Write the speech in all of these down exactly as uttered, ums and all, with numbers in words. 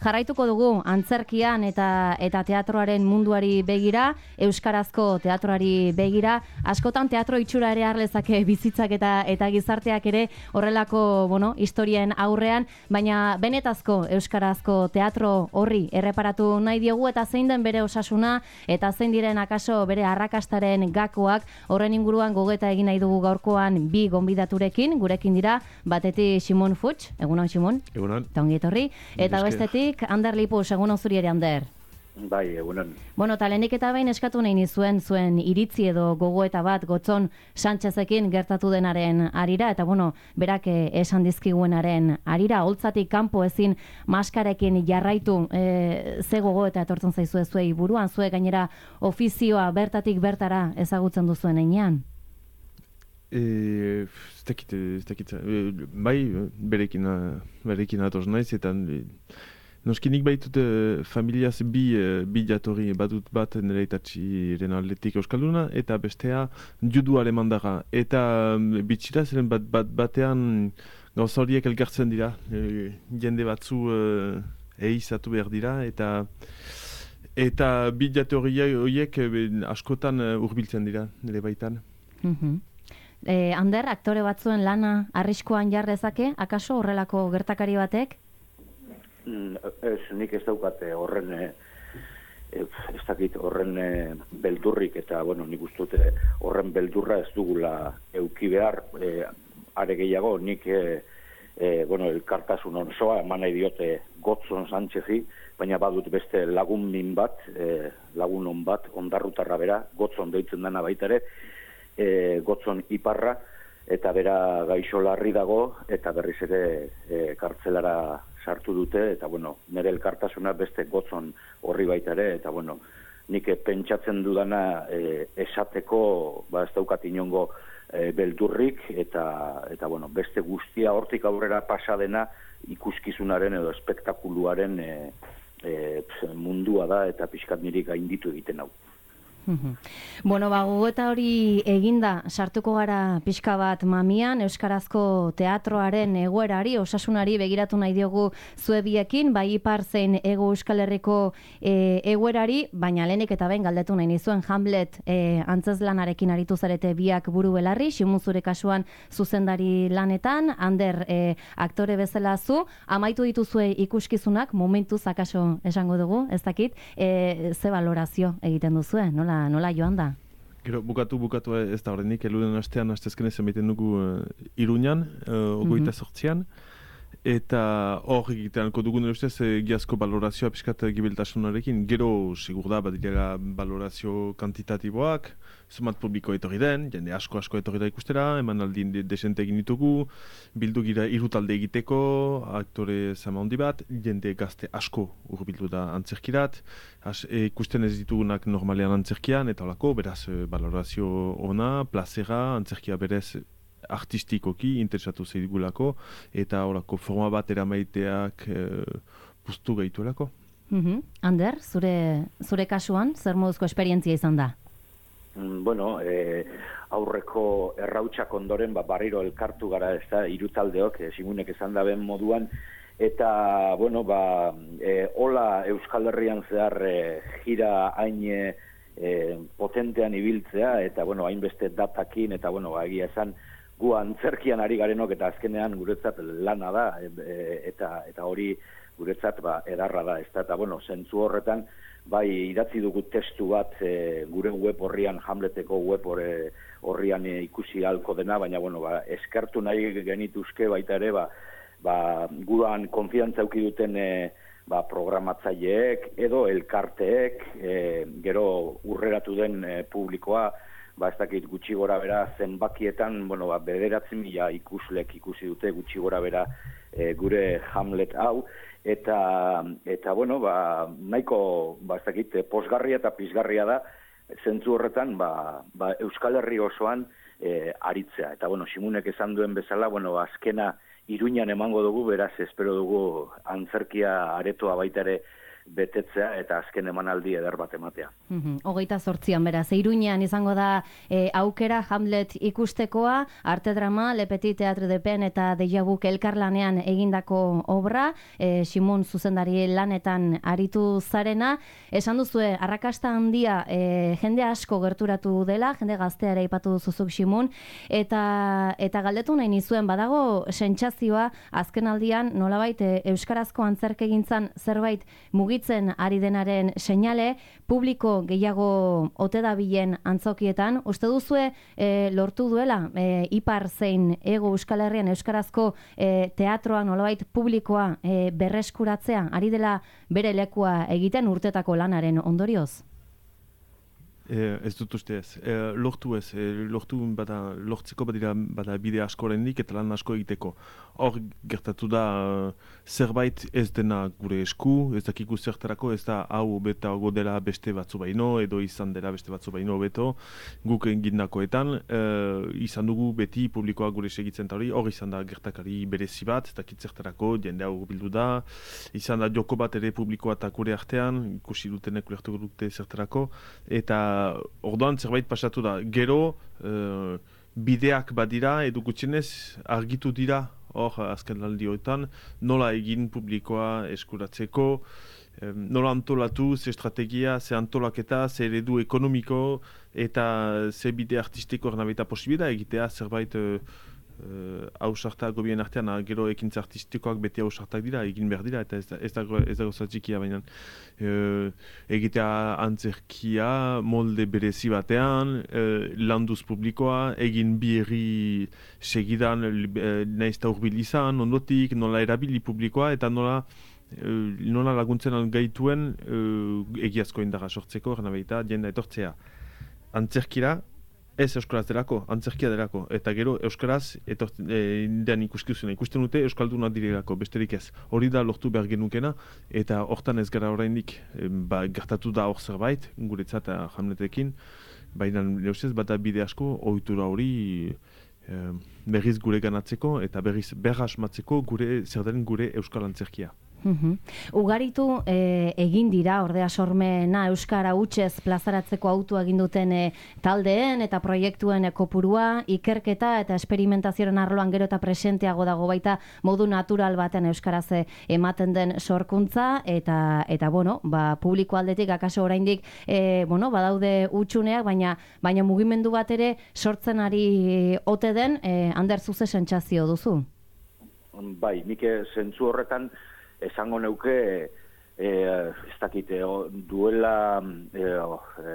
jarraituko dugu antzerkian eta eta teatroaren munduari begira, euskarazko teatroari begira, askotan teatro itxura ere har lezake bizitzak eta eta gizarteak ere horrelako, bueno, historien aurrean, baina benetazko euskarazko teatro horri erreparatu nahi diogu eta zein den bere osasuna eta zein diren akaso bere arrakastaren gakoak, horren inguruan gogeta egin nahi dugu gaurkoan bi gonbidaturekin, gurekin dira, batetik Simon Fuchs, egunon Simon? Egunon. Eta ongi etorri. Eta bestetik, Ander Lipus, egunon zuri ere, Ander? Bai, egunon. Bueno, talenik eta behin eskatu nahi nizuen zuen iritzi edo gogoeta bat Gotzon Sánchezekin gertatu denaren arira, eta bueno, berak esan dizkiguenaren arira, holtzatik kanpo ezin maskarekin jarraitu, e, ze gogoeta etortzen zaizue zuei buruan, zuek gainera ofizioa bertatik bertara ezagutzen duzuen einean? Ez dakit, ez dakit, bai, berekin, berekin atoz naiz, eta noskinik baitut familiaz bi, bi jatorri badut bat nire itatxiren aldetik euskalduna, eta bestea judu alemandara. Eta bitxira ziren bat, bat, batean gauza horiek elgartzen dira, e, jende batzu e, eizatu behar dira, eta eta bi jatorri horiek askotan hurbiltzen dira nire baitan. Mm-hmm. Eh, Ander, aktore batzuen lana arriskuan jarrezake, akaso horrelako gertakari batek? Mm, ez, nik ez daukate horren, ez dakit horren beldurrik, eta, bueno, nik ustute horren beldurra ez dugula euki behar, e, are gehiago, nik, e, e, bueno, elkartasun onzoa, eman nahi diote Gotzon Sánchezi, baina badut beste lagun min bat, e, lagun on bat, ondarrutarra bera, Gotzon deitzen dena baita ere, E, Gotzon iparra, eta bera gaixo larri dago, eta berriz ere e, kartzelara sartu dute, eta bueno, nire elkartasuna beste Gotzon horri baita ere, eta bueno, nik pentsatzen dudana e, esateko, ba ez daukat inongo e, beldurrik, eta, eta bueno, beste guztia hortik aurrera pasadena ikuskizunaren edo espektakuluaren e, e, mundua da, eta pixkat niri gainditu egiten hau. Bueno, ba, gogoeta hori eginda sartuko gara pixka bat mamian, euskarazko teatroaren egoerari, osasunari begiratu nahi diogu zuebiekin, bai ipar zein ego Euskal Herriko e, egoerari, baina lehenik eta behin galdetu nahi nizuen Hamlet e, antzezlanarekin aritu zarete biak buru belarri, Simon zure kasuan zuzendari lanetan, Ander e, aktore bezala zu, amaitu dituzue ikuskizunak, momentuz akaso esango dugu, ez dakit, e, ze balorazio egiten duzue, nola nola joan da? Gero, bukatu, bukatu ez da horrenik, eluren astean, astezkenez emaiten dugu uh, Iruñan, uh, ogoita mm-hmm. sortzian, eta hor egiteanko dugun ustez egiazko balorazioa piskat gibeltasunarekin. Gero, sigur da, badira balorazio kantitatiboak, zumat publiko etorri den, jende asko-asko etorri da ikustera, eman aldin de desente egin ditugu, bildu gira irutalde egiteko, aktore zama hondi bat, jende gazte asko urbildu da antzerkirat, As, e, ikusten ez ditugunak normalean antzerkian, eta holako, beraz, balorazio ona, plazera, antzerkia berez artistikoki interesatu zeigulako, eta horako forma bat eramaiteak e, puztu gehituelako. Mm-hmm. Ander, zure, zure kasuan, zer moduzko esperientzia izan da? Mm, bueno, e, aurreko errautsak ondoren, ba, barriro elkartu gara, ez da, irutaldeok, e, Simunek esan da ben moduan, eta, bueno, ba, e, hola Euskal Herrian zehar e, gira hain e, potentean ibiltzea, eta, bueno, hainbeste datakin, eta, bueno, ba, egia esan, gu antzerkian ari garenok eta azkenean guretzat lana da e, eta eta hori guretzat ba edarra da, ezta, eta bueno, zentzu horretan bai idatzi dugu testu bat e, gure web horrian, Hamleteko web horre, horrian e, ikusi halko dena, baina bueno, ba, eskertu nahi genituzke baita ere ba, ba guran konfiantza eduki duten e, ba, programatzaileek edo elkarteek, e, gero urreratu den e, publikoa, ba ez dakit gutxi gora bera zenbakietan, bueno, ba, bederatzi mila ikuslek ikusi dute gutxi gora bera e, gure Hamlet hau, eta, eta bueno, ba, nahiko, ba ez dakit, posgarria eta pizgarria da, zentzu horretan, ba, ba Euskal Herri osoan e, aritzea. Eta, bueno, Simunek esan duen bezala, bueno, azkena Iruñan emango dugu, beraz, espero dugu antzerkia aretoa baita ere betetzea eta azken emanaldi eder bat ematea. Mm-hmm. Hogeita zortzian, beraz, Iruñean izango da e, aukera Hamlet ikustekoa, arte drama, Le Petit Teatre de Pen eta Deja Vu elkarlanean egindako obra, e, Simon zuzendari lanetan aritu zarena. Esan duzue, arrakasta handia e, jende asko gerturatu dela, jende gazteara ipatu duzuzuk Simon, eta, eta galdetu nahi nizuen, badago sentsazioa azken aldian nolabait e, euskarazko antzerkegintzan zerbait mugitzen ari denaren seinale, publiko gehiago ote dabilen antzokietan. Uste duzue e, lortu duela e, ipar zein ego Euskal Herrian euskarazko e, teatroa nolabait publikoa e, berreskuratzea, ari dela bere lekua egiten urtetako lanaren ondorioz? E, ez dut uste ez. E, lortu ez. E, lortu bada, lortzeko badira bada bide asko oraindik eta lan asko egiteko. Hor gertatu da zerbait ez dena gure esku, ez dakiku zertarako, ez da hau betago dela beste batzu baino, edo izan dela beste batzu baino beto, guk egindakoetan, e, izan dugu beti publikoa gure segitzen ta hori, hor izan da gertakari berezi bat, ez dakit zertarako, jende hau bildu da, izan da joko bat ere publikoa eta gure artean, ikusi dutenek ulertu dute zertarako, eta orduan zerbait pasatu da. Gero, e, bideak badira, edo gutxienez argitu dira, hor azken aldioetan, nola egin publikoa eskuratzeko, e, nola antolatu, ze estrategia, ze antolaketa, ze eredu ekonomiko, eta ze bide artistiko ernabeta posibida egitea zerbait e, hausartak gobien artean, gero ekintza artistikoak beti hausartak dira, egin behar dira, eta ez, ez dago ez dago zatxikia, baina e, egitea antzerkia, molde berezi batean, e, landuz publikoa, egin bi segidan e, nahiz eta urbil izan, ondotik, nola erabili publikoa, eta nola e, nola laguntzen gaituen e, egiazko indarra sortzeko, gana behita, jenda etortzea. Antzerkira, ez euskaraz delako, antzerkia delako, eta gero euskaraz etortzen e, ikuskizuna, ikusten dute euskaldunak direlako, besterik ez. Hori da lortu behar genukena, eta hortan ez gara oraindik e, ba, gertatu da hor zerbait, guretzat Hamletekin, baina neuzez bata bide asko, ohitura hori e, berriz gure ganatzeko, eta berriz berra asmatzeko gure, zer den gure euskal antzerkia. Uhum. Ugaritu e, egin dira, ordea sormena euskara hutsez plazaratzeko autua egin duten e, taldeen eta proiektuen e, kopurua, ikerketa eta esperimentazioaren arloan gero eta presenteago dago baita modu natural baten euskaraz e, ematen den sorkuntza, eta eta bueno, ba, publiko aldetik akaso oraindik e, bueno, badaude hutsuneak, baina baina mugimendu bat ere sortzen ari ote den, e, Ander zuze sentsazio duzu? Bai, nik zentzu horretan esango neuke, e, ez dakit, duela e, e,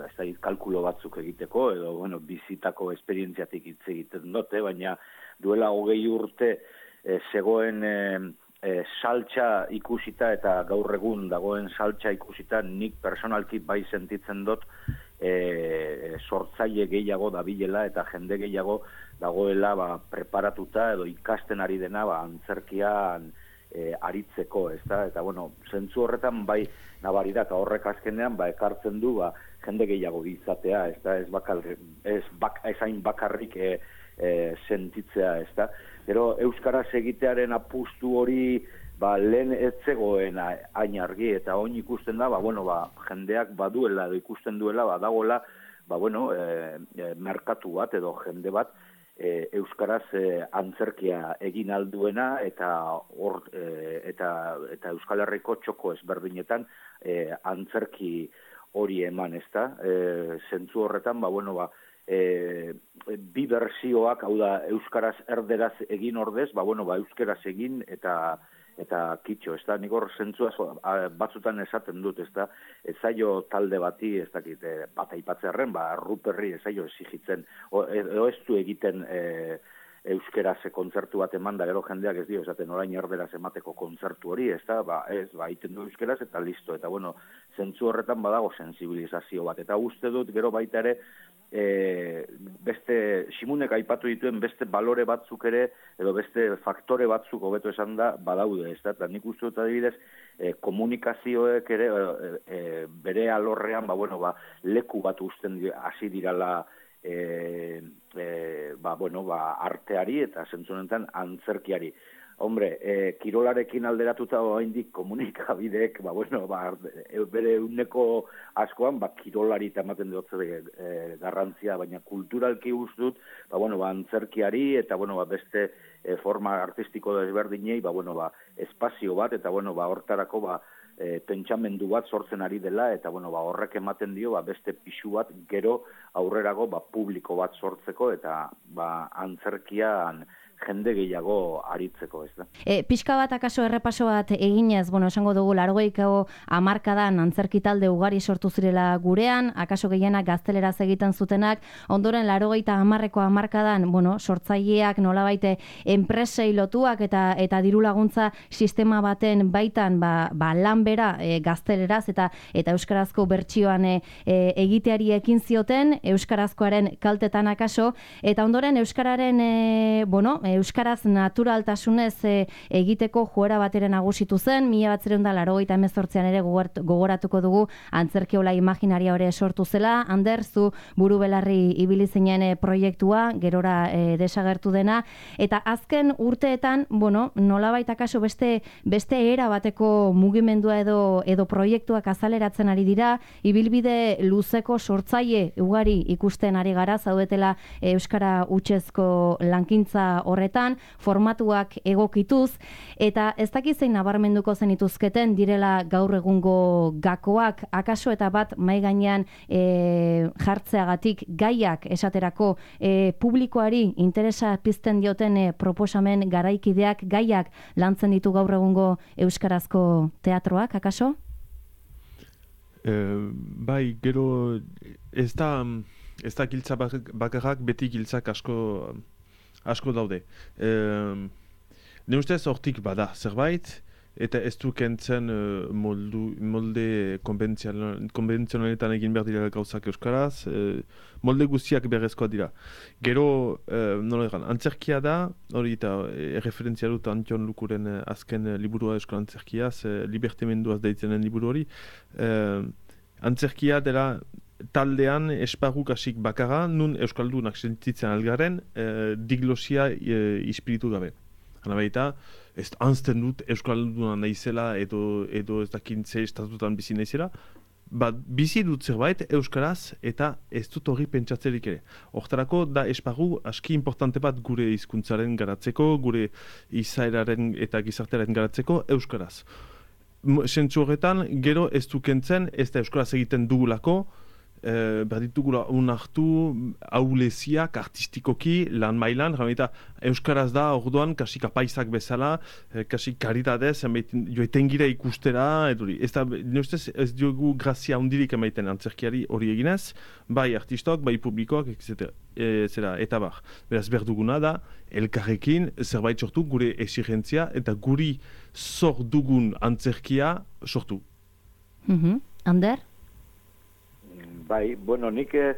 ez dakit, kalkulo batzuk egiteko, edo bueno, bizitako esperientziatik hitz egiten dute, baina duela hogei urte e, zegoen e, e, saltsa ikusita eta gaur egun dagoen saltsa ikusita nik personalki bai sentitzen dut e, sortzaile gehiago dabilela eta jende gehiago dagoela ba, preparatuta edo ikasten ari dena ba, antzerkian E, aritzeko, ez da, eta bueno, zentzu horretan bai nabari da, eta horrek azkenean ba, ekartzen du ba, jende gehiago izatea, ez da, ez, bakal, ez bak, ezain bakarrik e, e, sentitzea, ez da. Gero, euskaraz egitearen apustu hori ba, lehen ez zegoen hain argi, eta oin ikusten da, ba, bueno, ba, jendeak baduela, edo ikusten duela, ba, dagoela, ba, bueno, e, e, merkatu bat, edo jende bat, E, euskaraz e, antzerkia egin alduena eta hor e, eta eta Euskal Herriko txoko ezberdinetan e, antzerki hori eman, ezta? E, zentzu horretan, ba bueno, ba e, bi bertsioak, hau da euskaraz erderaz egin ordez, ba bueno, ba euskaraz egin eta eta kitxo, ez da, nik hor zentzua batzutan esaten dut, ez da, ez zailo talde bati, ez dakit, e, bat aipatzearen, ba, Ruperri ez zailo exigitzen, edo ez du egiten e, euskeraz kontzertu bat eman da, gero jendeak ez dio, esaten orain erderaz emateko kontzertu hori, ez da, ba, ez, ba, egiten du euskeraz eta listo, eta bueno, zentzu horretan badago sensibilizazio bat, eta uste dut, gero baita ere, E, beste, Simunek aipatu dituen beste balore batzuk ere, edo beste faktore batzuk hobeto esan da, badaude, ez da, eta nik uste dut adibidez, e, komunikazioek ere, e, e, bere alorrean, ba, bueno, ba, leku bat usten hasi dirala, e, e, ba, bueno, ba, arteari eta zentzu honetan antzerkiari. Hombre, eh, kirolarekin alderatuta oraindik komunikabideek, ba, bueno, ba, bere uneko askoan, ba, kirolari eta ematen dut e, garrantzia, baina kulturalki dut, ba, bueno, ba, antzerkiari eta, bueno, ba, beste e, forma artistiko desberdinei, ba, bueno, ba, espazio bat, eta, bueno, ba, hortarako, ba, e, pentsamendu bat sortzen ari dela, eta, bueno, ba, horrek ematen dio, ba, beste pixu bat gero aurrerago, ba, publiko bat sortzeko, eta, ba, antzerkian jende gehiago aritzeko, ez da. E, pixka bat akaso errepaso bat eginez, bueno, esango dugu largoiko hamarkadan antzerki talde ugari sortu zirela gurean, akaso gehienak gazteleraz egiten zutenak, ondoren laurogeita hamarreko hamarkadan, bueno, sortzaileak nolabait enpresei lotuak eta eta diru laguntza sistema baten baitan, ba, ba lan bera e, gazteleraz eta eta euskarazko bertsioan e, e, egiteari ekin zioten, euskarazkoaren kaltetan akaso, eta ondoren euskararen, e, bueno, euskaraz naturaltasunez e, egiteko joera bateren nagusitu zen, mila batziehun eta laurogeita hemezortzian ere gogoratuko dugu antzerkiola imaginaria hori sortu zela. Ander, zu buru belarri ibili zinen e, proiektua, gerora e, desagertu dena, eta azken urteetan, bueno, nolabait akaso beste beste era bateko mugimendua edo edo proiektuak azaleratzen ari dira, ibilbide luzeko sortzaile ugari ikusten ari gara, zaudetela e, euskara hutsezko lankintza horretan, formatuak egokituz, eta ez dakiz zein nabarmenduko zenituzketen direla gaur egungo gakoak, akaso eta bat mai gainean e, jartzeagatik gaiak esaterako e, publikoari interesa pizten dioten e, proposamen garaikideak gaiak lantzen ditu gaur egungo euskarazko teatroak, akaso? E, bai, gero ez da, ez da giltza bakarrak, beti giltzak asko asko daude. E, ne ustez hortik bada zerbait, eta ez du kentzen uh, moldu, molde konbentzionaletan egin behar dira gauzak euskaraz, uh, molde guztiak berrezkoa dira. Gero, uh, nola egan, antzerkia da, hori eta e, referentzia dut Antion Lukuren uh, azken uh, liburua euskal antzerkiaz, uh, libertemenduaz daitzenen liburu hori, uh, antzerkia dela taldean esparru kasik bakarra, nun euskaldunak sentitzen algaren, eh, diglosia eh, ispiritu gabe. Hana baita, ez anzten dut euskalduna naizela edo, edo ez dakintze estatutan bizi naizela, bat bizi dut zerbait euskaraz eta ez dut hori pentsatzerik ere. Hortarako da esparru aski importante bat gure hizkuntzaren garatzeko, gure izaeraren eta gizartearen garatzeko euskaraz. Sentzu horretan, gero ez du kentzen, ez da euskaraz egiten dugulako, Eh, behar ditugula unartu auleziak artistikoki lan mailan, eta euskaraz da orduan kasik apaisak bezala, eh, kasik karitadez joeten gira ikustera, eduri. Ez da, neustez, ez diogu grazia hundirik emaiten antzerkiari hori eginez, bai artistok, bai publikoak, et cetera. E, zera, eta bar. Beraz, berduguna da, elkarrekin zerbait sortu gure exigentzia eta guri zor dugun antzerkia sortu. Mm-hmm. Ander? Bai, bueno, nik e,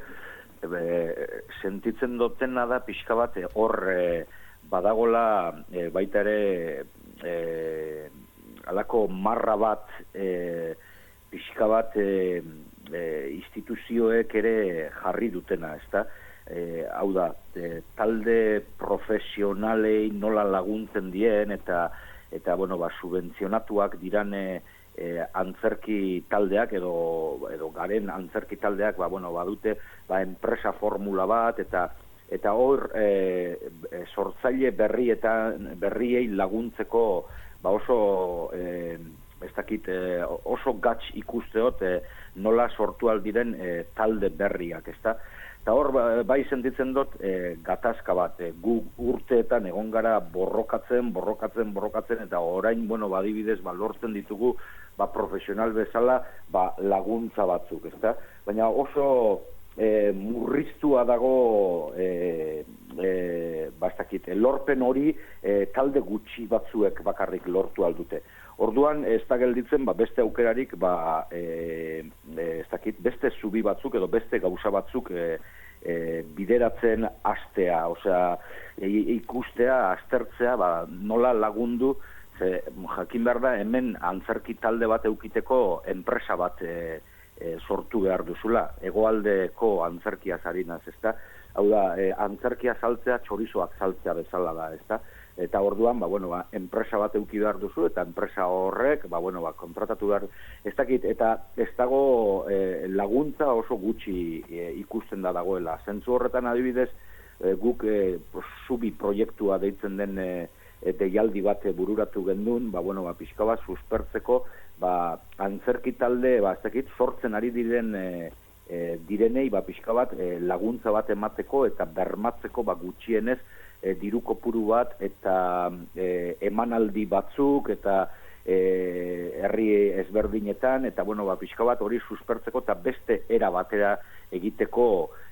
sentitzen dutena da pixka bat hor e, badagola e, baita ere e, alako marra bat e, pixka bat e, e, instituzioek ere jarri dutena, ezta? E, hau da, e, talde profesionalei nola laguntzen dien eta eta bueno, ba, subentzionatuak dirane E, antzerki taldeak edo edo garen antzerki taldeak ba bueno badute ba enpresa formula bat eta eta hor e, e, sortzaile berri eta berriei laguntzeko ba oso e, ez dakit e, oso gatz ikusteot e, nola sortu aldiren e, talde berriak, ezta? Eta hor bai sentitzen dut e, gatazka bat, e, gu urteetan egon gara borrokatzen, borrokatzen, borrokatzen eta orain bueno badibidez ba lortzen ditugu ba profesional bezala ba laguntza batzuk, ezta? Baina oso e, murriztua dago e, e, bastakit, lorpen hori e, talde gutxi batzuek bakarrik lortu aldute. Orduan ez da gelditzen ba, beste aukerarik ba, e, ez dakit, beste zubi batzuk edo beste gauza batzuk e, e, bideratzen astea, osea e, ikustea, aztertzea ba, nola lagundu. Ze, jakin behar da, hemen antzerki talde bat eukiteko enpresa bat e, e, sortu behar duzula, hegoaldeko antzerkia zarinaz, ezta? Hau da, e, antzerkia saltzea txorizoak saltzea bezala da, ezta? eta orduan, ba, bueno, ba, enpresa bat eduki behar duzu, eta enpresa horrek, ba, bueno, ba, kontratatu behar, ez dakit, eta ez dago e, laguntza oso gutxi e, ikusten da dagoela. Zentzu horretan adibidez, e, guk e, zubi proiektua deitzen den e, e, deialdi bat bururatu gendun, ba, bueno, ba, pixka bat suspertzeko, ba, antzerki talde, ba, ez dakit, sortzen ari diren e, e, direnei, ba, pixka bat e, laguntza bat emateko eta bermatzeko, ba, gutxienez, E, diru kopuru bat eta e, emanaldi batzuk eta e, herri ezberdinetan eta bueno, ba, pixka bat hori suspertzeko eta beste era batera egiteko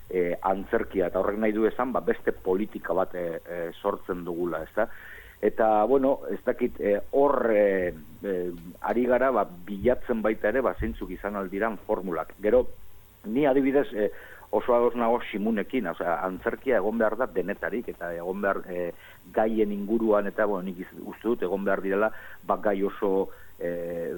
e, antzerkia eta horrek nahi du esan ba, beste politika bat e, e, sortzen dugula, ezta? Eta bueno, ez dakit hor e, e, ari gara ba, bilatzen baita ere ba, zeintzuk izan aldiran formulak. Gero, ni adibidez e, oso ados nago Simunekin, osea, antzerkia egon behar da denetarik, eta egon behar e, gaien inguruan, eta bueno, nik uste dut, egon behar direla, bak gai oso, e,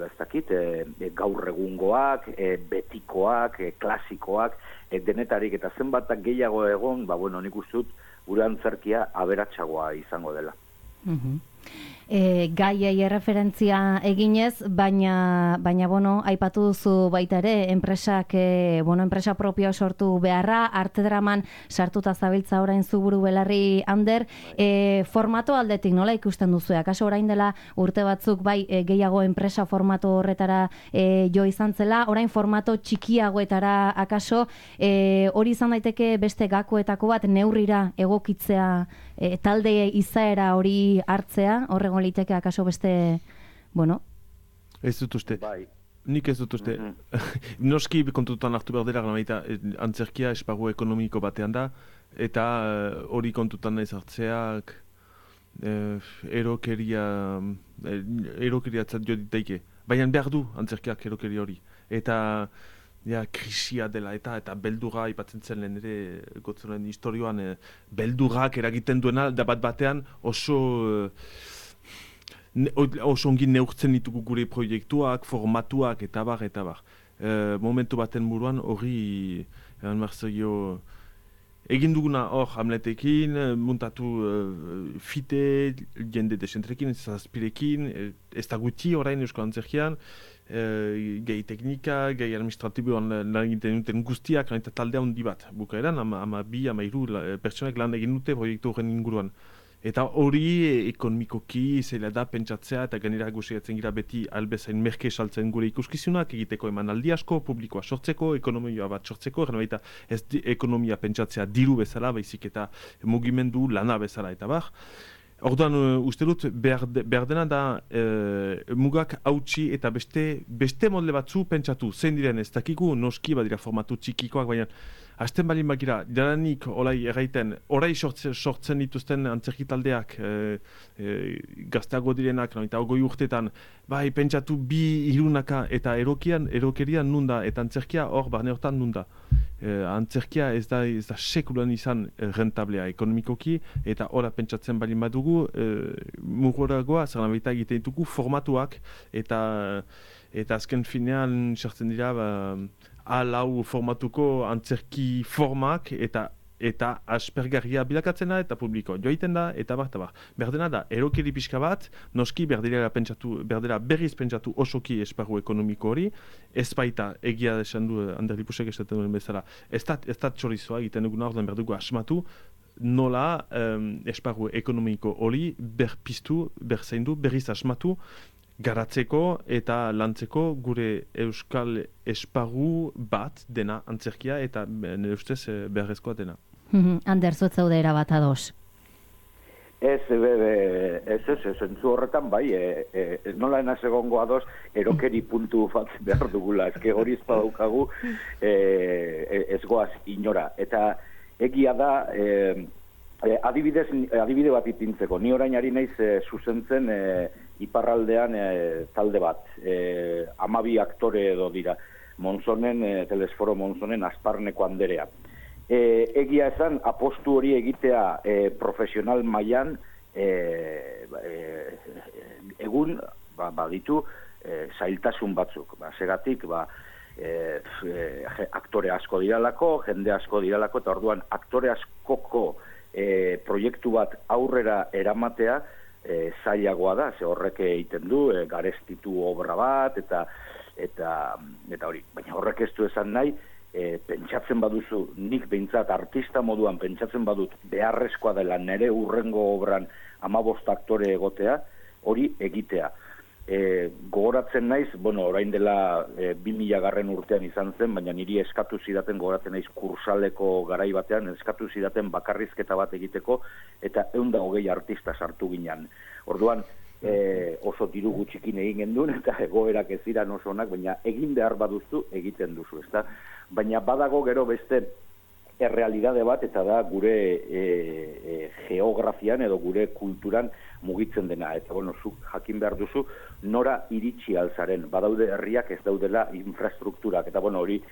ez dakit, e, gaur egungoak, e, betikoak, e, klasikoak, e, denetarik, eta zenbatak gehiago egon, ba, bueno, nik uste dut, gure antzerkia aberatsagoa izango dela. Mhm. E, gaiei erreferentzia eginez, baina, baina bueno, aipatu duzu baita ere, enpresak, e, bueno, enpresa propioa sortu beharra, arte draman sartuta zabiltza orain zuburu belarri Ander, e, formato aldetik nola ikusten duzu? Akaso orain dela urte batzuk bai e, gehiago enpresa formato horretara e, jo izan zela, orain formato txikiagoetara akaso, e, hori izan daiteke beste gakoetako bat neurrira egokitzea, e, talde izaera hori hartzea, horrego liteke akaso beste, bueno? Ez dut uste. Bai. Nik ez dut uste. Mm-hmm. Noski kontutan hartu behar dela, baita antzerkia esparru ekonomiko batean da, eta hori uh, kontutan nahiz hartzeak uh, erokeria uh, erokeria zat jo ditaike. Baina behar du antzerkiak erokeria hori. Eta ja, krisia dela eta eta beldurra ipatzen zen lehen ere gotzoren historioan eh, beldurrak eragiten duena da bat batean oso eh, ne, oso ongi neurtzen ditugu gure proiektuak, formatuak eta bar eta bar. Eh, momentu baten buruan hori eran marzaio egin duguna hor Hamletekin, muntatu uh, fite, jende desentrekin, zazpirekin, ez da guti orain eusko antzerkian, uh, gehi teknika, gehi administratiboan lan egiten duten guztiak, eta taldea handi bat. Bukaeran, ama, ama bi, ama iru pertsonek lan egin dute proiektu horren inguruan. Eta hori ekonomikoki zeila da pentsatzea eta gainera guziatzen gira beti albezain merke saltzen gure ikuskizunak egiteko emanaldi asko, publikoa sortzeko, ekonomia bat sortzeko, gana baita ez di, ekonomia pentsatzea diru bezala, baizik eta mugimendu lana bezala eta bar. Orduan, uh, uste dut, behar, de, behar dena da uh, mugak hautsi eta beste, beste modle batzu pentsatu. Zein diren ez dakigu, noski badira formatu txikikoak, baina hasten balin bagira, jaranik olai erraiten, orai sortzen, sortzen dituzten antzerki taldeak, e, e, gazteago direnak, no, eta ogoi urtetan, bai, pentsatu bi irunaka eta erokian, erokeria nunda, eta antzerkia hor barne hortan nunda. E, antzerkia ez da, ez da sekulan izan rentablea ekonomikoki, eta ora pentsatzen balin badugu, e, mugoragoa, zer nabaita egiten ditugu formatuak, eta, eta azken finean sartzen dira, ba, alau formatuko antzerki formak eta eta aspergarria bilakatzena eta publiko joiten da eta bar, eta bar. Berdena da, erokeri pixka bat, noski berdela pentsatu, berdela berriz pentsatu osoki esparru ekonomiko hori, ez baita egia desan du Ander Lipusek esaten duen bezala, ez da, ez da txorizoa egiten dugun orduan berdugu asmatu, nola um, esparru ekonomiko hori berpiztu, berzaindu, berriz asmatu, garatzeko eta lantzeko gure euskal esparru bat dena antzerkia eta nire ustez beharrezkoa dena. Ander, zuet zaude erabat ados? Ez, be, be, ez, ez, ez, entzu horretan bai, e, e, nola enaz egongo ados erokeri puntu bat behar dugula, ezke hori ezpadaukagu e, ez goaz inora. Eta egia da, e, adibidez, adibide bat ipintzeko, ni orain ari naiz e, zuzentzen e, iparraldean e, talde bat, e, amabi aktore edo dira, Monzonen, e, Telesforo Monzonen Asparneko Anderea. E, egia esan, apostu hori egitea e, profesional mailan e, e, egun ba, baditu e, zailtasun batzuk. Ba, segatik, ba, e, e, aktore asko diralako, jende asko diralako, eta orduan aktore askoko e, proiektu bat aurrera eramatea, e, zailagoa da, ze horrek egiten du, e, garestitu obra bat, eta eta eta hori, baina horrek ez du esan nahi, e, pentsatzen baduzu, nik behintzat artista moduan pentsatzen badut beharrezkoa dela nere urrengo obran hamabost aktore egotea, hori egitea. E, gogoratzen naiz, bueno, orain dela e, bi mila garren urtean izan zen, baina niri eskatu zidaten, gogoratzen naiz kursaleko garai batean, eskatu zidaten bakarrizketa bat egiteko, eta ehun eta hogei artista sartu ginen. Orduan, e, oso diru gutxikin egin genduen, eta egoerak ez ziren oso onak, baina egin behar baduzu egiten duzu, ezta? Baina badago gero beste errealidade bat, eta da gure e, e, geografian edo gure kulturan mugitzen dena. Eta, bueno, zuk jakin behar duzu, nora iritsi alzaren. Badaude herriak ez daudela infrastrukturak. Eta, bueno, hori,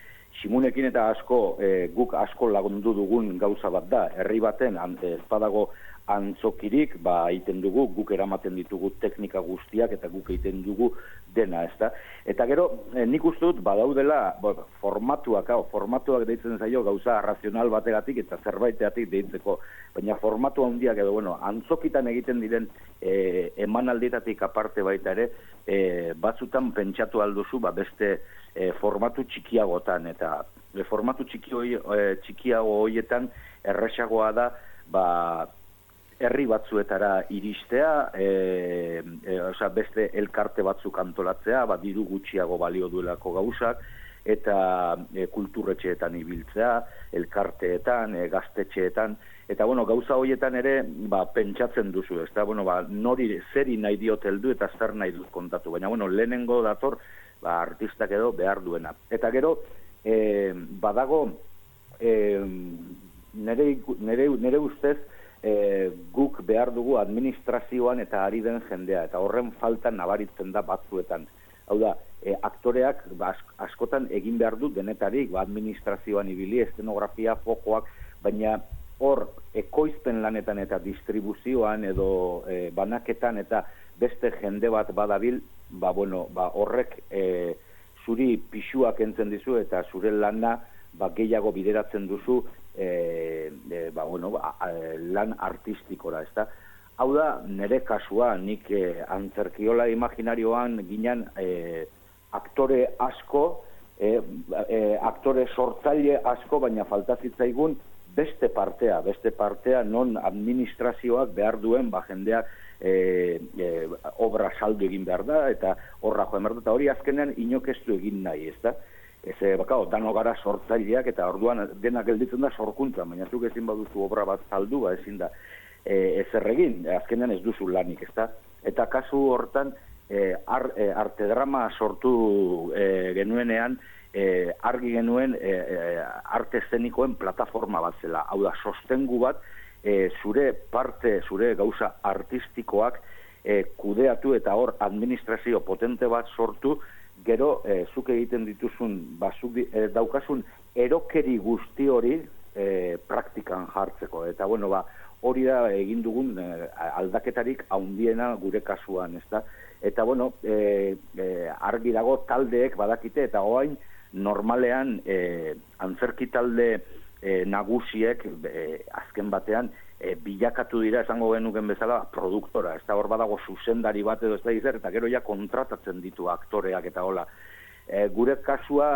Simunekin eta asko, e, guk asko lagundu dugun gauza bat da. Herri baten, ez badago antzokirik, ba, egiten dugu, guk eramaten ditugu teknika guztiak, eta guk egiten dugu dena, ezta? Eta gero, eh, nik uste dut, badaudela, bo, formatuak, hau, formatuak deitzen zaio, gauza razional bategatik, eta zerbaiteatik deitzeko, baina formatu handiak edo, bueno, antzokitan egiten diren eh, emanaldietatik aparte baita ere, eh, batzutan pentsatu alduzu, ba, beste eh, formatu txikiagotan, eta eh, formatu txiki hoi, eh, txikiago hoietan erresagoa da, ba, herri batzuetara iristea, e, e, oza, beste elkarte batzuk antolatzea, ba, diru gutxiago balio duelako gauzak, eta e, kulturretxeetan ibiltzea, elkarteetan, e, gaztetxeetan, eta bueno, gauza horietan ere ba, pentsatzen duzu, ez da, bueno, ba, nori zeri nahi diot heldu eta zer nahi dut kontatu, baina bueno, lehenengo dator ba, artistak edo behar duena. Eta gero, e, badago, e, nere, nere, nere ustez, E, guk behar dugu administrazioan eta ari den jendea, eta horren falta nabaritzen da batzuetan. Hau da, e, aktoreak ba, askotan egin behar du denetarik, ba, administrazioan ibili, estenografia, fokoak, baina hor ekoizpen lanetan eta distribuzioan edo e, banaketan eta beste jende bat badabil, ba, bueno, ba, horrek e, zuri pixuak entzen dizu eta zure lana ba, gehiago bideratzen duzu E, e, ba, bueno, ba, lan artistikora, ezta? Hau da, nire kasua, nik e, antzerkiola imaginarioan ginen e, aktore asko, e, e, aktore sortzaile asko, baina falta zitzaigun beste partea, beste partea non administrazioak behar duen, ba, jendeak e, e, obra saldu egin behar da, eta horra joan behar da, eta hori azkenean inokeztu egin nahi, ezta? Ez, bakao, dano gara sortzaileak, eta orduan dena gelditzen da sorkuntza, baina zuk ezin baduzu obra bat saldu, ba ezin da e, ezer egin, azkenean ez duzu lanik, ezta? Eta kasu hortan, e, ar, e, artedrama sortu e, genuenean, e, argi genuen e, e, arte eszenikoen plataforma bat zela, hau da, sostengu bat, e, zure parte, zure gauza artistikoak e, kudeatu eta hor administrazio potente bat sortu, gero, e, zuk egiten dituzun, ba, zuk e, daukasun erokeri guzti hori e, praktikan jartzeko. Eta, bueno, ba, hori da egin dugun e, aldaketarik haundiena gure kasuan, ezta? Eta, bueno, e, e, argi dago taldeek badakite, eta oain normalean e, antzerki talde e, nagusiek e, azken batean e, bilakatu dira, esango genuken bezala, produktora. Ez da hor badago zuzendari bat edo ez da izan, eta gero ja kontratatzen ditu aktoreak eta hola. E, gure kasua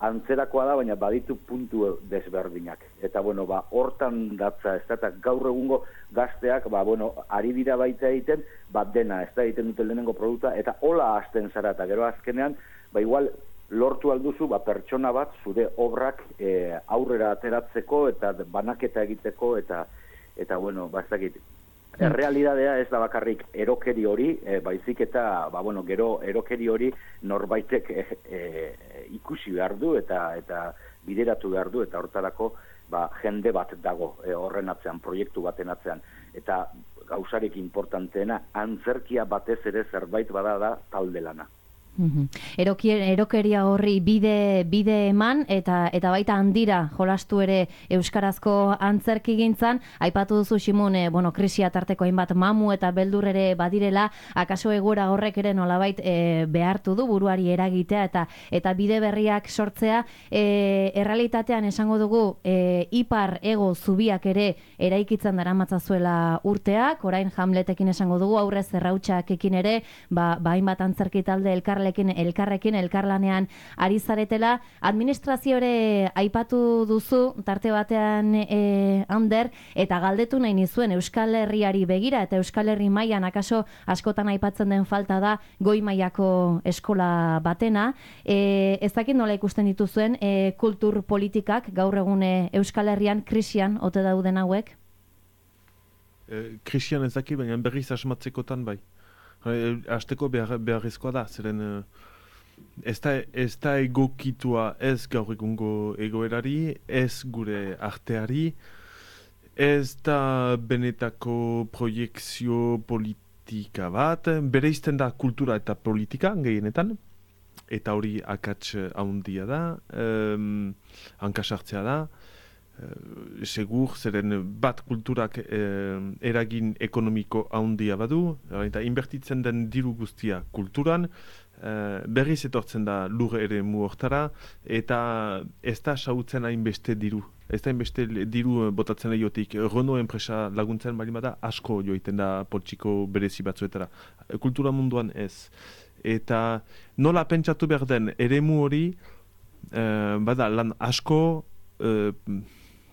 antzerakoa da, baina baditu puntu desberdinak. Eta, bueno, ba, hortan datza, ez da, eta gaur egungo gazteak, ba, bueno, ari dira baita egiten, bat dena, ez da, egiten duten lehenengo produkta, eta hola hasten zara, eta gero azkenean, ba, igual, lortu alduzu, ba, pertsona bat, zure obrak e, aurrera ateratzeko, eta banaketa egiteko, eta eta bueno, bastakit, errealidadea ez da bakarrik erokeri hori, e, baizik eta, ba, bueno, gero erokeri hori norbaitek e, e, ikusi behar du eta eta bideratu behar du, eta hortarako ba, jende bat dago e, horren atzean, proiektu baten atzean. Eta gauzarik importanteena, antzerkia batez ere zerbait bada da talde lana. Eroki, erokeria horri bide bide eman eta eta baita handira jolastu ere euskarazko antzerkigintzan. Aipatu duzu Ximun, e, bueno, krisia tarteko hainbat mamu eta beldur ere badirela, akaso egoera horrek ere nolabait e, behartu du buruari eragitea eta eta bide berriak sortzea. E, errealitatean esango dugu e, ipar ego zubiak ere eraikitzen daramatzazuela urteak, orain Hamletekin esango dugu, aurrez Errautsakekin ere, ba, ba hainbat antzerki talde elkar elkarrekin, elkarlanean ari zaretela. Administrazio ere aipatu duzu, tarte batean e, Ander, eta galdetu nahi nizuen Euskal Herriari begira, eta Euskal Herri mailan akaso askotan aipatzen den falta da goi mailako eskola batena. E, ez dakit nola ikusten dituzuen e, kultur politikak gaur egun Euskal Herrian krisian ote dauden hauek? E, krisian ez dakit, baina berriz asmatzekotan bai. Azteko behar, beharrezkoa da, zeren ez da, ez da egokitua ez gaur egungo egoerari, ez gure arteari, ez da benetako proiekzio politika bat, bereizten da kultura eta politika gehienetan, eta hori akats handia da, um, hankasartzea da, Uh, segur, zeren bat kulturak eh, eragin ekonomiko handia badu, eta inbertitzen den diru guztia kulturan, eh, berriz etortzen da lur ere mu hortara, eta ez da sautzen hainbeste diru. Ez da hainbeste diru botatzen lehiotik. Renault enpresa laguntzen bali bada asko joiten da poltsiko berezi batzuetara. Kultura munduan ez. Eta nola pentsatu behar den eremu hori, eh, bada lan asko, eh,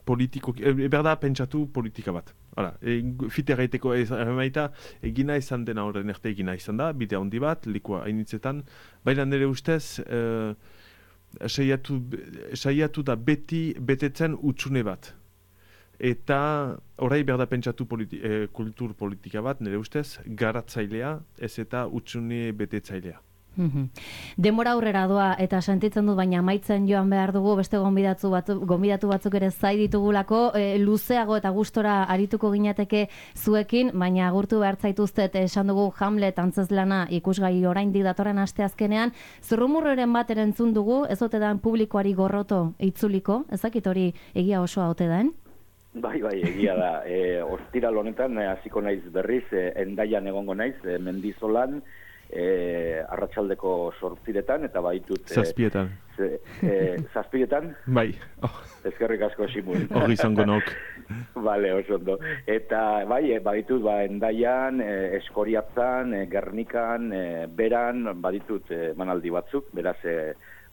politiko, e, berda pentsatu politika bat. Hala, e, fite gaiteko emaita, egina izan dena horren erte egina izan da, bide handi bat, likua hainitzetan, baina nire ustez, e, saiatu, saiatu da beti betetzen utxune bat. Eta orai berda pentsatu politi, e, kultur politika bat, nire ustez, garatzailea, ez eta utxune betetzailea. Denbora aurrera doa eta sentitzen dut, baina amaitzen joan behar dugu, beste gonbidatu, batu, gonbidatu batzuk ere zai ditugulako, e, luzeago eta gustora arituko ginateke zuekin, baina agurtu behar zaituztet, esan dugu Hamlet antzezlana ikusgai oraindik datorren asteazkenean, zurrumurroren bat erantzun dugu, ez ote dan publikoari gorroto itzuliko, ezakit hori egia osoa ote den? Bai, bai, egia da. E, ostiral honetan, hasiko naiz berriz, e, Hendaian egongo naiz, e, Mendizolan, E, arratsaldeko sortziretan, eta baitut... Zazpietan. E, e, zazpietan? Bai. Oh. Ezkerrik asko, Simun. Hori izango nok. Bale, oso ondo. Eta bai, e, baitut, ba, Hendaian, e, Eskoriatzan, e, Gernikan, e, Beran, baditut e, manaldi batzuk, beraz e,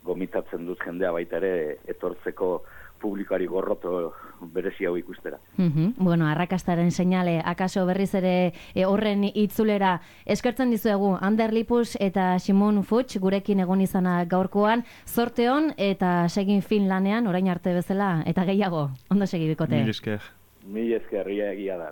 gomitatzen dut jendea baita ere etortzeko publikari gorroto berezi hau ikustera. Mm-hmm. Bueno, arrakastaren seinale, akaso berriz ere e, horren itzulera eskertzen dizuegu Ander Lipus eta Ximun Fuchs gurekin egon izana gaurkoan, zorte on eta segin fin lanean, orain arte bezala, eta gehiago, ondo segi bikote. Mil esker. Mil esker, ia egia da.